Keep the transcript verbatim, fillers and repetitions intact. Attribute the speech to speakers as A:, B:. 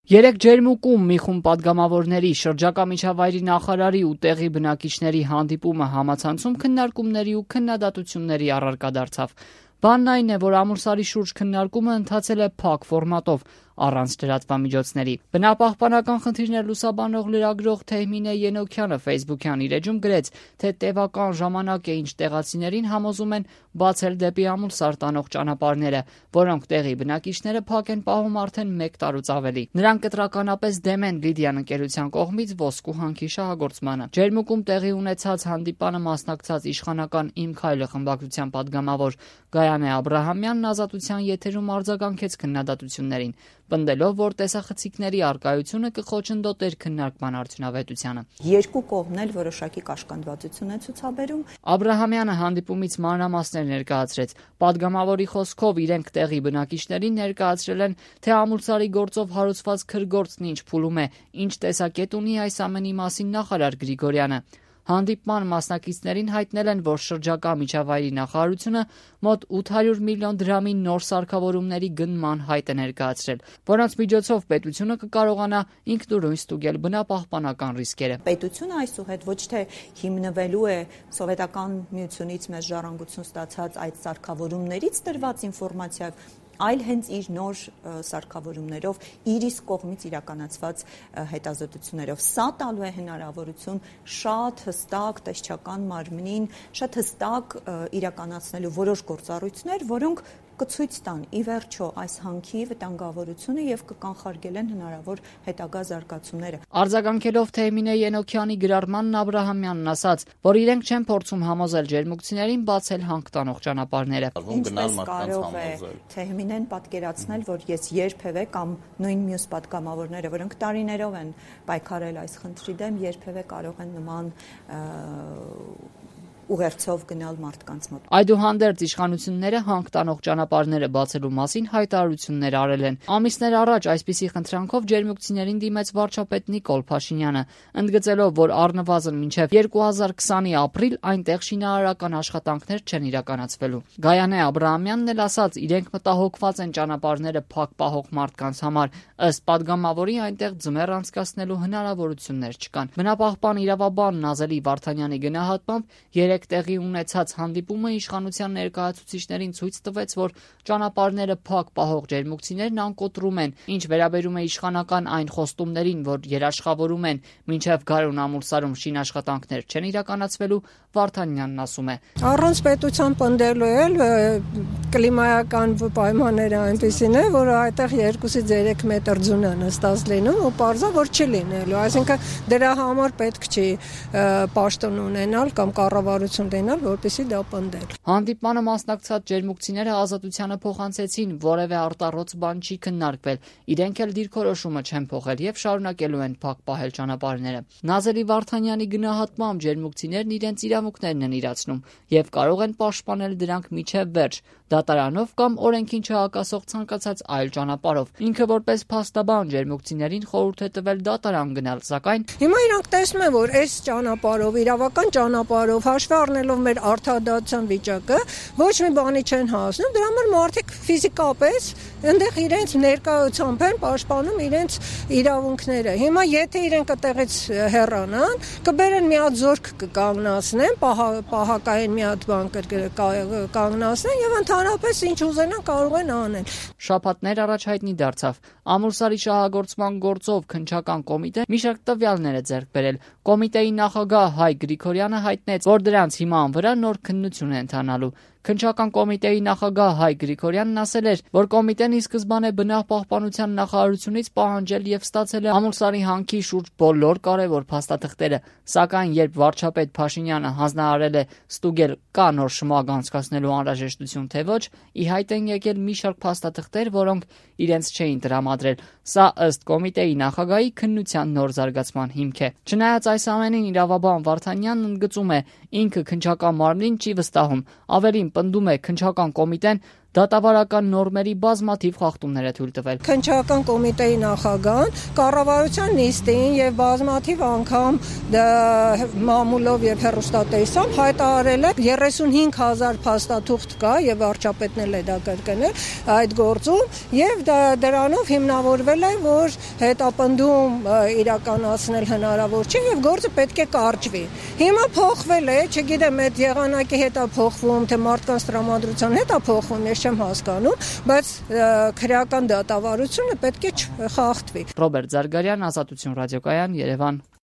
A: Երեք Ջերմուկում մի խումբ պատգամավորների, շրջակա միջավայրի նախարարի ու տեղի բնակիչների հանդիպումը համացանցում քննարկումների ու քննադատությունների առարկա դարձավ։ Բանն այն է, որ Ամուլսարի շուրջ քննարկումը ընթացել է փակ ֆորմատով, առանց լրատվամիջոցների։ Բնապահպանական խնդիրներ լուսաբանող լրագրող Թեհմինե Ենոքյանը ֆեյսբուքյան իր էջում գրեց, թե տևական ժամանակ է, ինչ տեղացիներին համոզում են բացել դեպի Ամուլսար տանող ճանապարհները, որոնք տեղի բնակիչները փակ են պահում արդեն մեկ տարուց ավելի։ Նրանք կտրականապես դեմ են Լիդիան ընկերության կողմից ոսկու հանքի շահագործմանը։ Ջերմուկում տեղի ունեցած հանդիպանը մասնակցած իշխանական «Իմ քայլը» խմբակցության պատգամավոր Գայանե Աբրահամյանն Ազատության եթերում արձագանքեց քննադատություններին, պնդելով, որ տեսախցիկների առկայությունը կխոչընդոտեր քննարկման արդյունավետությանը։
B: Երկու կողմն էլ որոշակի կաշկանդվածություն է ցուցաբերում։
A: Աբրահամյանը հանդիպումից մանրամասներ ներկայացրեց։ Պատգամավորի խոսքով իրենք տեղի բնակիչներին ներկայացրել են, թե Ամուլսարի գործով հարուցված քրգործն ինչ փուլում է, ինչ տեսակետ ունի այս ամենի մասին նախարար Գրիգորյանը։ Հանդիպման մասնակիցներին հայտնել են, որ շրջակա միջավայրի նախարարությունը մոտ ութ հարյուր միլիոն դրամի նոր սարքավորումների գնման հայտ է ներկայացրել, որոնց միջոցով պետությունը կկարողանա ինքնուրույն ստուգել բնապահպանական ռիսկերը։
B: Պետությունը այսուհետ ոչ թե հիմնվելու է սովետական միությունից մեծ ժառանգություն ստացած այդ սարքավորումներից տրված ինֆորմացիայով, այլ հենց իր նոր սարքավորումներով, իր իսկ կողմից իրականացված հետազոտություններով։ Սա տալու է հնարավորություն շատ հստակ տեսչական մարմնին, շատ հստակ իրականացնելու որոշ գործառույթներ, որոնք կցույց տան ի վերջո այս հանքի վտանգավորությունը եւ կկանխարգելեն հնարավոր հետագա զարգացումները։
A: Արձագանքելով Թեհմինե Ենոքյանի գրառմանն Աբրահամյանն ասաց, որ իրենք չեն փորձում համոզել ջերմուկցիներին բացել հանք տանող ճանապարհները։
B: Ինչպես կարող է Թեհմինեն պատկերացնել, որ ես երբևէ կամ նույն մյուս պատգամավորները, որոնք տարիներով են պայքարել այս խնդրի դեմ, երբևէ կարող են նման ուղերձով գնալ մարդկանց մոտ։
A: Այդուհանդերձ իշխանությունները հանք տանող ճանապարհները բացելու մասին հայտարարություններ արել են։ Ամիսներ առաջ այսպիսի խնդրանքով ջերմուկցիներին դիմեց վարչապետ Նիկոլ Փաշինյանը, ընդգծելով, որ առնվազն մինչև երկու հազար քսանի ապրիլ այնտեղ շինարարական աշխատանքներ չեն իրականացվելու։ Գայանե Աբրահամյանն էլ ասաց, իրենք մտահոգված են ճանապարհները փակ պահող մարդկանց համար, ըստ պատգամավորի այնտեղ ձմեռ անցկացնելու հնարավորություններ չկան։ Բնապահպան իրավաբան Նազելի Վարդանյանի գնահատմամբ երեք տեղի ունեցած հանդիպումը իշխանության ներկայացուցիչներին ցույց տվեց, որ ճանապարհները փակ պահող ջերմուկցիներն անկոտրում են, ինչ վերաբերում է իշխանական այն խոստումներին, որ երաշխավորում են մինչև գարուն Ամուլսարում շինաշխատանքներ չեն իրականացվելու, Վարդանյանն ասում է.
C: Առանց պետության պնդելու էլ կլիմայական պայմանները այնպեսին է, որ այդտեղ երկուսից երեք մետր ձուն է նստած լինում ու պարզա, որ չի լինելու, այսինքն դրա համար պետք չի պաշտոն ունենալ կամ կառավարություն դենալ, որպեսզի դա պնդել։
A: Հանդիպմանը մասնակցած ջերմուկցիները Ազատությանը փոխանցեցին, որևէ արտառոց բան չի քննարկվել, իրենք էլ դիրքորոշումը չեն փոխել եւ շարունակելու են փակ պահել ճանապարհները։ Նազելի Վարդանյանի գնահատմամբ ջերմուկցիներն իրենց իրավունքներն են իրացնում եւ կարող են պաշտպանել դրանք միջև վերջ, դատարանով կամ օրենքին չհակասող ցանկացած այլ ճանապարհով։ Ինքը որպես փաստաբան ջերմուկցիներին խորհուրդ է տվել դատարան գնալ, սակայն
C: հիմա իրանք տեսնում են, որ այս ճանապարհով, իրավական ճանապարհով հաշվի առնելով մեր արդարադատության վիճակը, ոչ մի բանի չեն հասնում, դրա համար մարդիկ ֆիզիկապես այնտեղ իրենց ներկայությամբ են պաշտպանում իրենց իրավունքները։ Հիմա եթե իրենք այդտեղից հեռանան, կբերեն մի հատ զորք կկանգնացնեն, պահակային մի հատ բան կկանգնացնեն եւ ընդհանրապես ինչ ուզենան կարող են անել։
A: Շաբաթներ առաջ հայտնի դարձավ, Ամուլսարի շահագործման գործով քննչական կոմիտեն մի շարք տվյալներ է ձեռք բերել։ Կոմիտեի նախագահ Հայ Գրիգորյանը հայտնեց, որ դրանց հիման վրա նոր քննություն է ընթանալու։ Քննչական կոմիտեի նախագահ Հայ Գրիգորյանն ասել էր, որ կոմիտեն ի սկզբանե բնապահպանության նախարարությունից պահանջել եւ ստացել է Ամուլսարի հանքի շուրջ բոլոր կարևոր փաստաթղթերը, սակայն երբ վարչապետ Փաշինյանը հանձնարարել է ստուգել կա նոր շմագ անցկացնելու անհրաժեշտություն թե ոչ, ի հայտ են եկել մի շարք փաստաթղթեր, որոնք իրենց չէին տրամադրել։ Սա ըստ կոմիտեի նախագահի քննության նոր զարգացման հիմք է։ Չնայած այս ամենին իրավաբան Վարդանյանն ընդգծում է, ինքը քննչական մարմնին չի վստահում, ավելին պնդում է քննչական կոմիտեն դատավարական նորմերի բազմաթիվ խախտումներ է թույլ տվել։
C: Քննչական կոմիտեի նախագահան կառավարության նիստին եւ բազմաթիվ անգամ մամուլով եւ հեռուստատեսությամբ հայտարարել է երեսունհինգ հազար փաստաթուղթ կա եւ վարչապետն էլ է դա կրկնել այդ գործում եւ դրանով հիմնավորվել է որ հետապնդում իրականացնել հնարավոր չէ եւ գործը պետք է կարճվի։ Հիմա փոխվել է, չգիտեմ այդ եղանակի հետ է փոխվում, թե մարդկանց տրամադրության հետ է փոխվում, ես չեմ հասկանում, բայց քրեական դատավարությունը պետք է չխախտվի։
A: Ռոբերտ Զարգարյան, Ազատություն ռադիոկայան, Երևան։